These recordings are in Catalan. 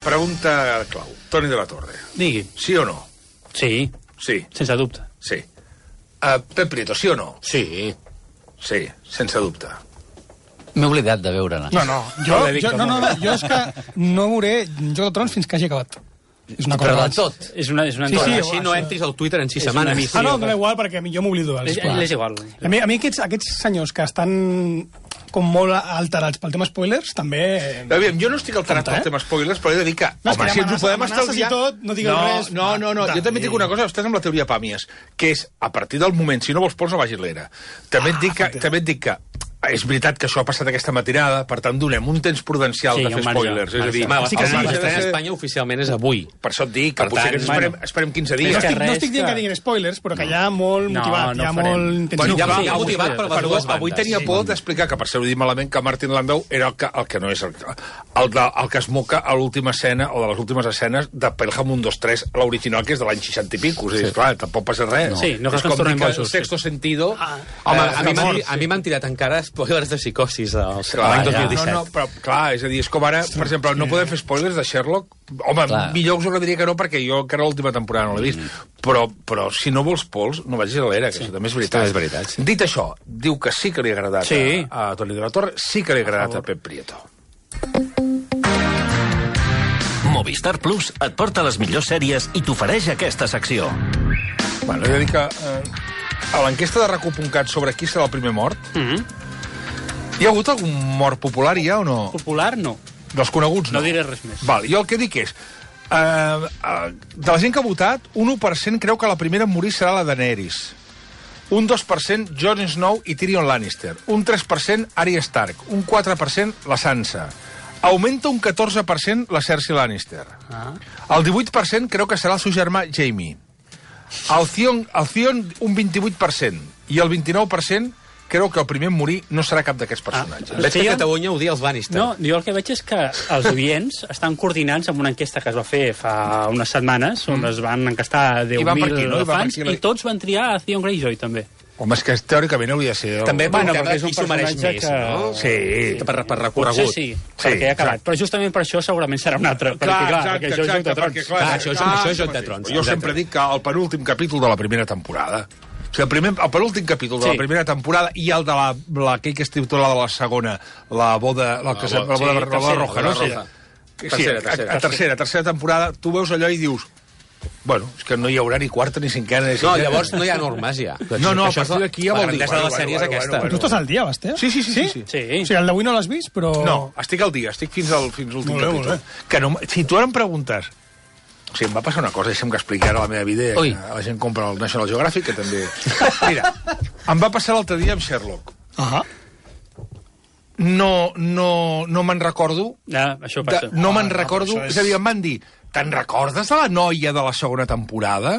Pregunta clau. Toni de la Torre. Digui. Sí o no? Sí. Sí. Sense dubte. Sí. Pep Prieto, sí o no? Sí. Sí, sense dubte. M'he oblidat de veure-ne. No, jo és que no veuré Joc de Trons fins que hagi acabat. És una cosa Però de abans. tot. És una Sí, Així no entris al Twitter en 6 setmanes. missió. no, dona igual, perquè jo m'oblido. És igual. A mi aquests senyors que estan com molt alterats pel tema spoilers, també... Aviam, jo no estic alterat pel tema spoilers, però he de dir que, home, si ens ho podem estalviar... No digueu res. No, jo també et dic una cosa, estàs amb la teoria Pàmies, que és, a partir del moment, si no vols pols, no vagis l'era. També et dic que és veritat que això ha passat aquesta matinada, per tant, donem un temps prudencial de fer spoilers. És a dir, L'estrena a Espanya oficialment és avui. per això et dic que potser esperem 15 dies. No estic dient que diguin spoilers, però que hi ha molt motivat, hi ha molt intensiu. Hi ha motivat per les dues bandes. Avui tenia por d'explicar, que per ser-ho dit malament, que Martin Landau era el que no és el que es moca a l'última escena, o de les últimes escenes, de Pelham 1, 2, 3, l'original, que és de l'any 60 i pico. És a dir, clar, tampoc passa res. Sí, no cal que ens és com tornem dir que bojos. el Sexto Sentido... Home, a mi m'han tirat encara spoilers de Psicosis l'any 2017. No, però clar, és a dir, és com ara, per exemple, no podem fer spoilers de Sherlock. Home, millor us agradaria que no, perquè jo encara l'última temporada no l'he vist. Però si no vols pols, no vagis a l'era, que això també és veritat. És veritat. Dit això, diu que sí que li ha agradat a Toni de la Torre, sí que li ha agradat a Pep Prieto. Movistar Plus et porta les millors sèries i t'ofereix aquesta secció. Bueno, he de dir que a l'enquesta de RACU.cat sobre qui serà el primer mort, hi ha hagut algun mort popular, ja, o no? Popular, no. Dels coneguts, no. No diré res més. Val, jo el que dic és... de la gent que ha votat, un 1% creu que la primera a morir serà la Daenerys. Un 2% Jon Snow i Tyrion Lannister. Un 3% Arya Stark. Un 4% la Sansa. Augmenta un 14% la Cersei Lannister. El 18% creu que serà el seu germà Jaime. El Theon un 28%. I el 29% creu que el primer a morir no serà cap d'aquests personatges. Veig que a Catalunya odia els Lannister. No, jo el que veig és que els oients estan coordinats amb una enquesta que es va fer fa unes setmanes, on es van encastar 10.000 fans, i tots van triar a Theon Greyjoy, també. Home, és que teòricament hauria de ser... També per perquè és un qui s'ho mereix personatge més, que... no? Sí. Per recorregut. Potser sí, perquè ha acabat. Però justament per això segurament serà un altre. Perquè això és Joc de Trons. Això és Joc de Trons. Jo sempre dic que el penúltim capítol de la primera temporada... O sigui, el penúltim capítol de la primera temporada i el de aquell que es titula de la segona, la boda roja, no? Tercera temporada, tu veus allò i dius... Bueno, és que no hi haurà ni quarta, ni cinquena, ni No, llavors no hi ha normes, ja. No, a partir d'aquí ja vol dir... La grandesa de la sèrie és aquesta. Tu estàs al dia, Basté? Sí. Sí. O sigui, el d'avui no l'has vist, però... No, estic al dia, estic fins a l'últim capítol. Que no, si tu ara em preguntes... O sigui, em va passar una cosa, deixa'm que expliqui ara la meva vida, que la gent compra el National Geographic, que també... Mira, em va passar l'altre dia amb Sherlock. No me'n recordo... Això passa. No me'n recordo... És a dir, em van dir, te'n recordes de la noia de la segona temporada?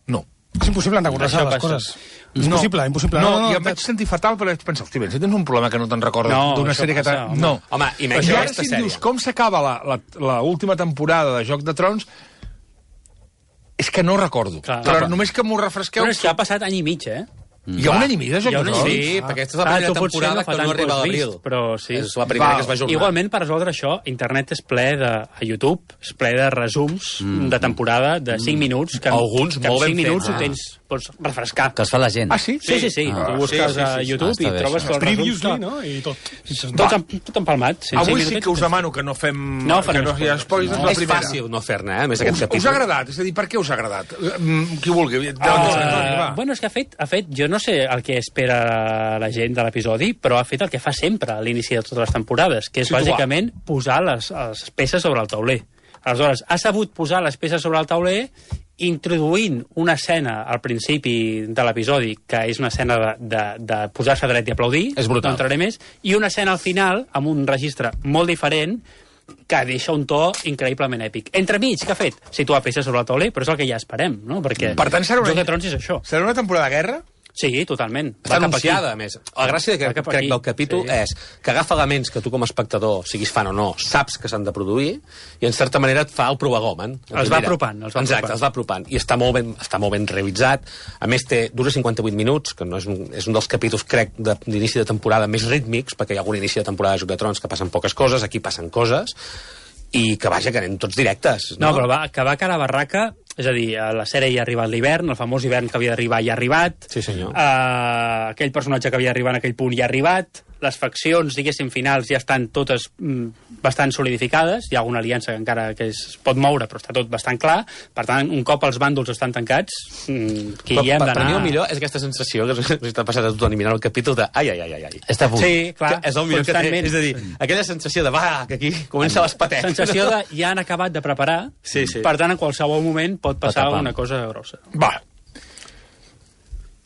No. És impossible recordar-se les coses. Impossible. No, i em vaig sentir fatal, però vaig pensar, hosti, si tens un problema que no te'n recordes d'una sèrie que t'ha... No. Home, I ara si em dius com s'acaba l'última temporada de Joc de Trons, és que no recordo. Però només que m'ho refresqueu... Però és que ha passat any i mig, Hi ha un any i mig de Joc de Trons? Sí, perquè aquesta és la primera temporada que no arriba a l'abril. Però sí. És la primera que es va ajornar. Igualment, per resoldre això, internet és ple a YouTube, és ple de resums de temporada de 5 minuts. Alguns molt ben fets. 5 minuts ho tens, pots refrescar. Que es fa la gent. Ah, sí? Sí. Tu busques a YouTube i trobes els resums. No? I tot. Tot empalmat. Avui sí que us demano que no fem... No farem spoilers. És fàcil no fer-ne, més aquest capítol. Us ha agradat? És a dir, per què us ha agradat? Qui vulgui. Bueno, és que ha fet, jo no sé el que espera la gent de l'episodi, però ha fet el que fa sempre a l'inici de totes les temporades, que és bàsicament posar les peces sobre el tauler. Aleshores, ha sabut posar les peces sobre el tauler introduint una escena al principi de l'episodi, que és una escena de posar-se dret i aplaudir, és brutal. No entraré més, i una escena al final, amb un registre molt diferent, que deixa un to increïblement èpic. Entremig, què ha fet? Situar peces sobre el tauler, però és el que ja esperem, no? Perquè per tant, Joc de Trons és això. Serà una temporada de guerra? Sí, totalment. Està anunciada, a més. La gràcia crec del capítol és que agafa elements que tu com a espectador, siguis fan o no, saps que s'han de produir i en certa manera et fa el provagomen. Els va apropant. Exacte, els va apropant. I està molt ben realitzat. A més, dura 58 minuts, que no és un dels capítols, crec, d'inici de temporada més rítmics, perquè hi ha algun inici de temporada de Joc de Trons que passen poques coses, aquí passen coses, i que, vaja, que anem tots directes. No, però que va cara a barraca, és a dir, la sèrie ja ha arribat l'hivern, el famós hivern que havia d'arribar ja ha arribat, Sí, senyor. Aquell personatge que havia d'arribar en aquell punt ja ha arribat, les faccions, diguéssim, finals ja estan totes bastant solidificades, hi ha alguna aliança que encara que es pot moure, però està tot bastant clar, per tant, un cop els bàndols estan tancats, qui hi hem d'anar... Per mi el millor és aquesta sensació que s'està passant a tothom mirant el capítol de ai. Està a punt. Sí, clar, Que és el millor que té, és a dir, aquella sensació de que aquí comença l'espatec. sensació de ja han acabat de preparar, Sí. per tant, en qualsevol moment pot passar tapar. una cosa grossa. Va.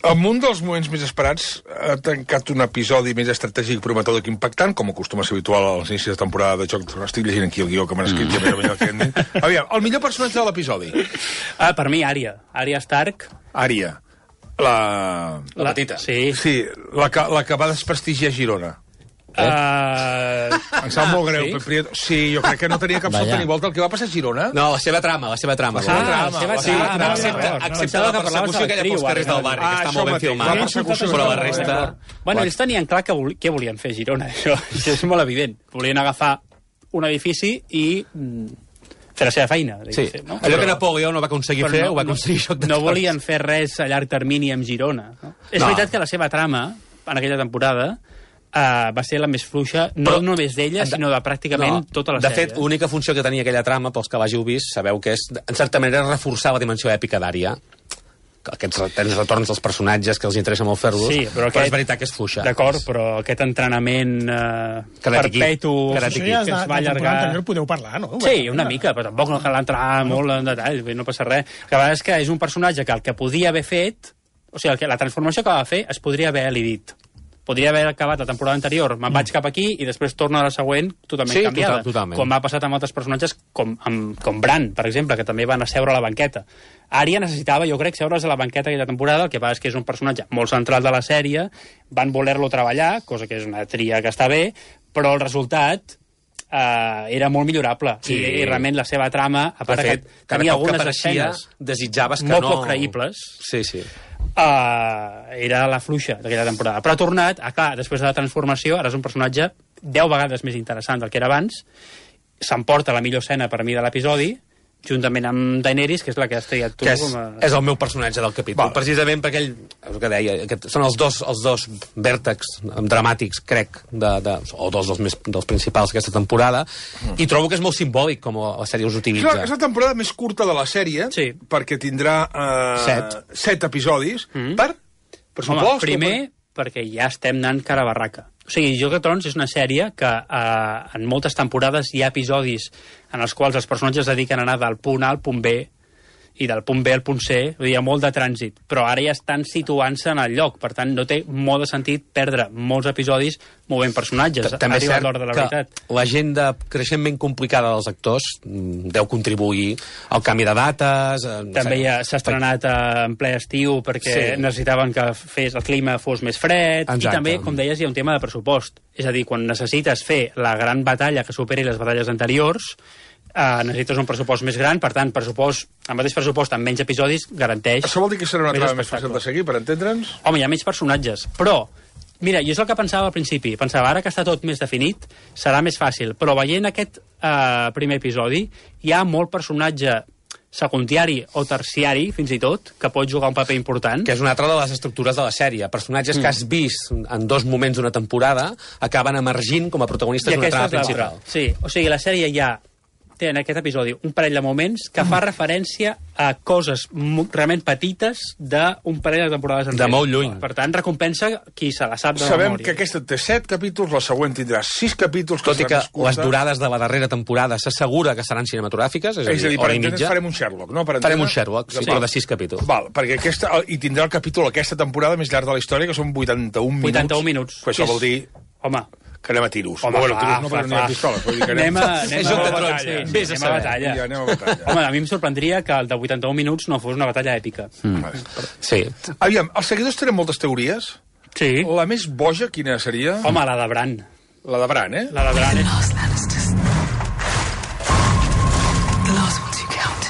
En un dels moments més esperats ha tancat un episodi més estratègic, prometedor que impactant, com acostuma a ser habitual als inicis de temporada de Joc. Estic llegint aquí el guió que m'han escrit. Aviam, el millor personatge de l'episodi. Per mi, Arya Stark. Ària. La petita. Sí. Sí, la que va desprestigiar Girona. Em sap molt greu. Sí? Sí, jo crec que no tenia cap Vaja. sota ni volta el que va passar a Girona. No, la seva trama. la seva trama. Excepte la persecució aquella pels carrers del barri, que està molt ben filmada, però la resta... Bueno, ells tenien clar què volien fer a Girona, això és molt evident. Volien agafar un edifici i fer la seva feina. Sí, no? allò que Napoleó no va aconseguir fer, ho va aconseguir Joc de No Trons. volien fer res a llarg termini amb Girona. No? És veritat que la seva trama, en aquella temporada, va ser la més fluixa, no només d'ella, sinó de pràcticament tota la de sèrie. fet, l'única funció que tenia aquella trama, pels que l'hàgiu vist, sabeu que és, en certa manera, reforçar la dimensió èpica d'Ària. Aquests retorns dels personatges que els interessa molt fer-los, Sí, però és veritat que és fluixa. D'acord, però aquest entrenament perpetu que es va allargar... Podeu parlar, no? Sí, una mica, però tampoc no cal entrar molt en detall, no passa res. El que és que és un personatge que el que podia haver fet, o sigui, la transformació que va fer es podria haver elidit. Podria haver acabat la temporada anterior, me'n vaig cap aquí i després torno a la següent totalment canviada. Totalment. Com ha passat amb altres personatges, com Bran, per exemple, que també van a seure a la banqueta. Ària necessitava, jo crec, seure's a la banqueta aquella temporada, el que passa és que és un personatge molt central de la sèrie, van voler-lo treballar, cosa que és una tria que està bé, però el resultat era molt millorable. Sí. I realment la seva trama, a part que tenia algunes escenes desitjaves que molt no... poc creïbles, Sí. era la fluixa d'aquella temporada. Però ha tornat, clar, després de la transformació, ara és un personatge 10 vegades més interessant del que era abans, s'emporta la millor escena per mi de l'episodi, juntament amb Daenerys, que és la que has triat tu. És el meu personatge del capítol, precisament perquè ell, el que deia, són els dos vèrtexs dramàtics, crec, o dos dels principals d'aquesta temporada, i trobo que és molt simbòlic com la sèrie us utilitza. És la temporada més curta de la sèrie, perquè tindrà 7 episodis, per pressupost. Home, primer, perquè ja estem anant cara a barraca. O sigui, Joc de Trons és una sèrie que en moltes temporades hi ha episodis en els quals els personatges es dediquen a anar del punt A al punt B i del punt B al punt C, vull dir, hi ha molt de trànsit, però ara ja estan situant-se en el lloc, per tant no té molt de sentit perdre molts episodis movent personatges. També és cert de la que l'agenda creixentment complicada dels actors deu contribuir al canvi de dates... També ja s'ha estrenat en ple estiu perquè necessitaven que el clima fos més fred. Exacte. I també, com deies, hi ha un tema de pressupost. És a dir, quan necessites fer la gran batalla que superi les batalles anteriors, necessites un pressupost més gran, per tant, el mateix pressupost amb menys episodis garanteix... Això vol dir que serà una trama més fàcil de seguir, per entendre'ns? Home, hi ha menys personatges, però... Mira, jo és el que pensava al principi. Pensava, ara que està tot més definit, serà més fàcil. Però veient aquest primer episodi, hi ha molt personatge secundari o terciari, fins i tot, que pot jugar un paper important. Que és una altra de les estructures de la sèrie. Personatges que has vist en 2 moments d'una temporada acaben emergint com a protagonistes d'una trama principal. Sí, o sigui, la sèrie ja té en aquest episodi un parell de moments que fa referència a coses realment petites d'un parell de temporades enrere. De molt lluny. Per tant, recompensa qui se la sap de Sabem memòria. que aquesta té 7 capítols, la següent tindrà 6 capítols... Tot i que les durades de la darrera temporada s'assegura que seran cinematogràfiques, és a dir, hora i mitja. Farem un Sherlock, no? Farem un Sherlock, sí, però de 6 capítols. Val, perquè i tindrà el capítol aquesta temporada més llarg de la història, que són 81 minuts. 81 minuts. Que això vol dir... Home, que anem a tiros. Home, bueno, tiros no, perquè no hi ha pistoles. Vull dir que anem a batalla. Anem a batalla. Ja, anem a batalla. Home, a mi em sorprendria que el de 81 minuts no fos una batalla èpica. Sí. Aviam, els seguidors tenen moltes teories. Sí. La més boja, quina seria? Home, la de Bran. La de Bran, eh? La de Bran. The last Lannisters. The last ones who count.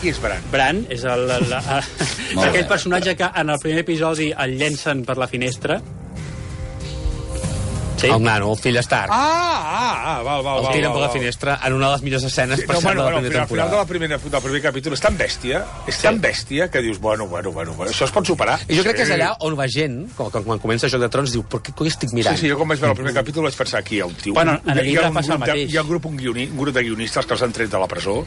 Qui és Bran? Bran és aquell personatge que en el primer episodi el llencen per la finestra. Sí. El nano, el fill Stark. Val. El tiren per la finestra en una de les millors escenes per cert de la primera al final temporada. del primer capítol és tan bèstia que dius, bueno, això es pot superar. I jo crec que és allà on va gent, quan comença Joc de Trons, diu, per què coi estic mirant? Sí, jo quan vaig veure el primer capítol vaig pensar aquí hi ha un tio. Bueno, en el llibre passa el mateix. Hi ha un grup de guionistes que els han tret de la presó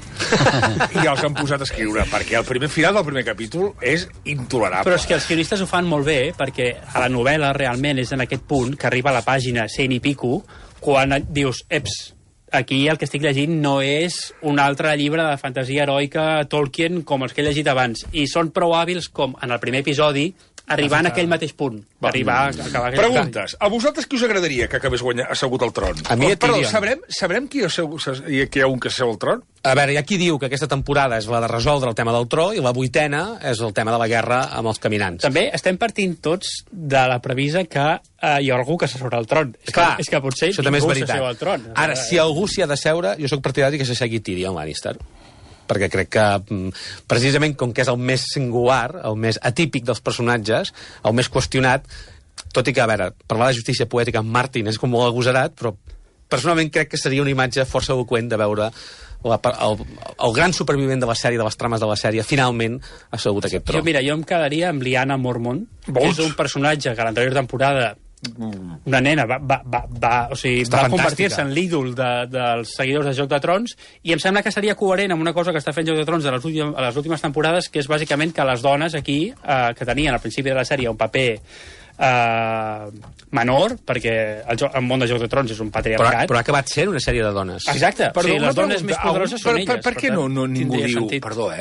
i els han posat a escriure, perquè el final del primer capítol és intolerable. Però és que els guionistes ho fan molt bé, perquè a la novel·la realment és en aquest punt que arriba a la pàgina 100 i pico, quan dius, aquí el que estic llegint no és un altre llibre de fantasia heroica Tolkien com els que he llegit abans, i són prou hàbils com en el primer episodi arribar en aquell mateix punt. Arribar a acabar aquell Preguntes. A vosaltres qui us agradaria que acabés assegut al tron? A mi Perdó, Tyrion. sabrem qui hi ha un que s'asseu al tron? A veure, hi ha qui diu que aquesta temporada és la de resoldre el tema del tro i la 8ª és el tema de la guerra amb els caminants. També estem partint tots de la premissa que hi ha algú que s'asseurà al tron. És que potser això també és ningú veritat. s'asseu al tron. Ara, si algú s'hi ha de seure, jo sóc partidari que s'assegui Tyrion Lannister, perquè crec que, precisament, com que és el més singular, el més atípic dels personatges, el més qüestionat, tot i que, a veure, parlar de justícia poètica amb Martin és com molt agosarat, però personalment crec que seria una imatge força eloqüent de veure el gran supervivent de la sèrie, de les trames de la sèrie, finalment ha assegut aquest tron. Jo em quedaria amb Lyanna Mormont, que és un personatge que a l'anterior temporada una nena va convertir-se en l'ídol dels seguidors de Joc de Trons, i em sembla que seria coherent amb una cosa que està fent Joc de Trons a les últimes temporades, que és bàsicament que les dones aquí, que tenien al principi de la sèrie un paper menor, perquè el món de Joc de Trons és un patriarcat. Però ha acabat sent una sèrie de dones. Exacte. Les dones més poderoses són elles. Per què no ningú diu... Perdó,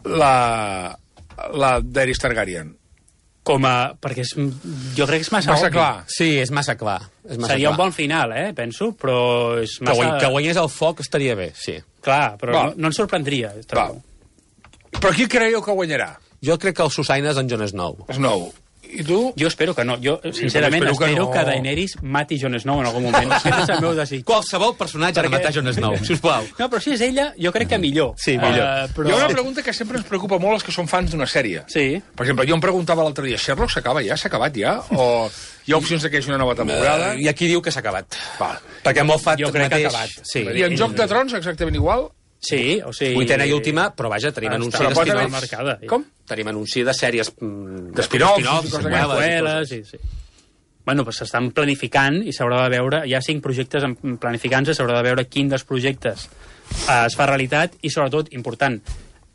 la Daenerys Targaryen? Perquè jo crec que és massa clar. Sí, és massa clar. Seria un bon final, penso, però és massa... Que guanyés el foc estaria bé, sí. Clar, però no ens sorprendria. Però qui creieu que guanyarà? Jo crec que el Susaina és en Jon Snow. Snow. I tu? Jo espero que no. Jo, sincerament, espero que Daenerys mati Jon Snow en algun moment. Aquest és el meu desig. Qualsevol personatge ha de matar Jon Snow, sisplau. No, però si és ella, jo crec que millor. Sí, millor. Hi ha una pregunta que sempre ens preocupa molt als que són fans d'una sèrie. Sí. Per exemple, jo em preguntava l'altre dia, Sherlock s'acaba ja? S'ha acabat ja? O hi ha opcions de que hi hagi una nova temporada? Hi ha qui diu que s'ha acabat. Perquè Moffat jo crec que ha acabat. Sí. I en Joc de Trons exactament igual? Sí, o sigui... 8ª i última, però vaja, tenim anunci d'espinoff. Com? Tenim anunci de sèries... D'espinoff, seqüeles... Sí. Bueno, doncs s'estan planificant i s'haurà de veure... Hi ha 5 projectes planificant-se, s'haurà de veure quin dels projectes es fa realitat i, sobretot, important,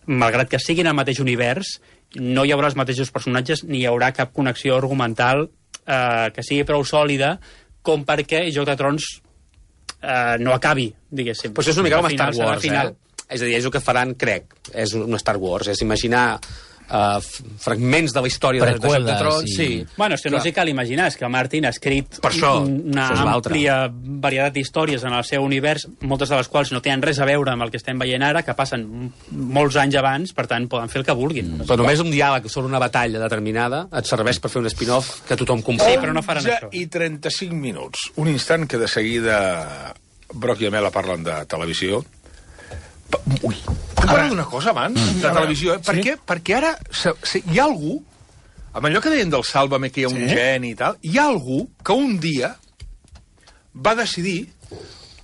malgrat que siguin al mateix univers, no hi haurà els mateixos personatges ni hi haurà cap connexió argumental que sigui prou sòlida com perquè Joc de Trons no acabi, diguéssim. Però això és una mica com Star Wars, És a dir, és el que faran, crec, és un Star Wars, és imaginar fragments de la història de Joc de Trons. Sí. Bueno, és que no sé cal imaginar, és que Martin ha escrit una àmplia varietat d'històries en el seu univers, moltes de les quals no tenen res a veure amb el que estem veient ara, que passen molts anys abans, per tant, poden fer el que vulguin. Però només un diàleg sobre una batalla determinada et serveix per fer un spin-off que tothom comprèn. Sí, però no faran això. I 35 minuts. Un instant que de seguida Broc i Amela parlen de televisió. Ui, puc parlar d'una cosa abans? De televisió, Per què? Perquè ara hi ha algú, amb allò que deien del Sálvame, que hi ha un geni i tal, hi ha algú que un dia va decidir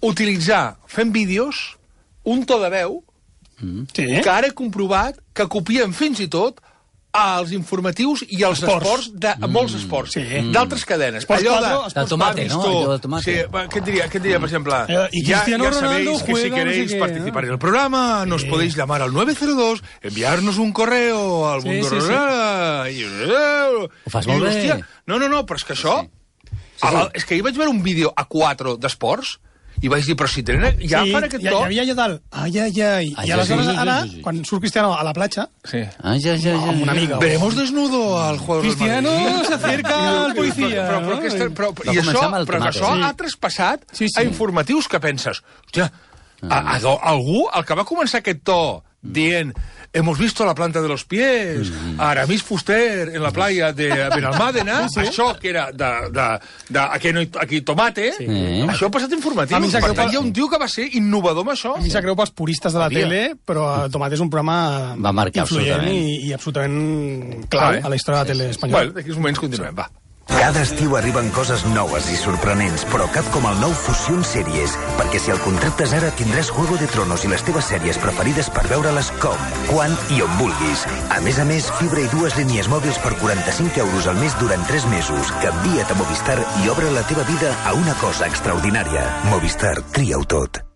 utilitzar, fent vídeos, un to de veu que ara he comprovat que copien fins i tot als informatius i als esports de molts esports, d'altres cadenes. Allò de tomate, no? Allò de tomate. Sí, què et diria, per exemple? Y Cristiano Ronaldo sabéis que si queréis participar en el programa, nos podéis llamar al 902, enviarnos un correo al mundo rural... Ho fas molt bé. No, però és que això... És que ahir vaig veure un vídeo a 4 d'esports i vaig dir, però si tenen... Ja fan aquest to... Hi havia allò dalt, ai. I aleshores ara, quan surt Cristiano a la platja, amb una amiga... Veremos desnudo al jugador del Madrid. Cristiano se acerca al policía. Però que això ha traspassat a informatius que penses... Hòstia, algú, el que va començar aquest to dient... Hemos visto la planta de los pies, Aramis Fuster en la playa de Benalmádena, això que era aquí tomate, això ha passat informatiu. Per tant, hi ha un tio que va ser innovador amb això. A mi s'ha creu pels puristes de la tele, però Tomate és un programa influent i absolutament clau a la història de la tele espanyola. Bueno, d'aquí uns moments continuem, va. Cada estiu arriben coses noves i sorprenents, però cap com el nou Fusion Series, perquè si el contractes ara tindràs Juego de Tronos i les teves sèries preferides per veure-les com, quan i on vulguis. A més, fibra i 2 línies mòbils per 45 euros al mes durant 3 mesos. Canvia't a Movistar i obre la teva vida a una cosa extraordinària. Movistar, tria-ho tot.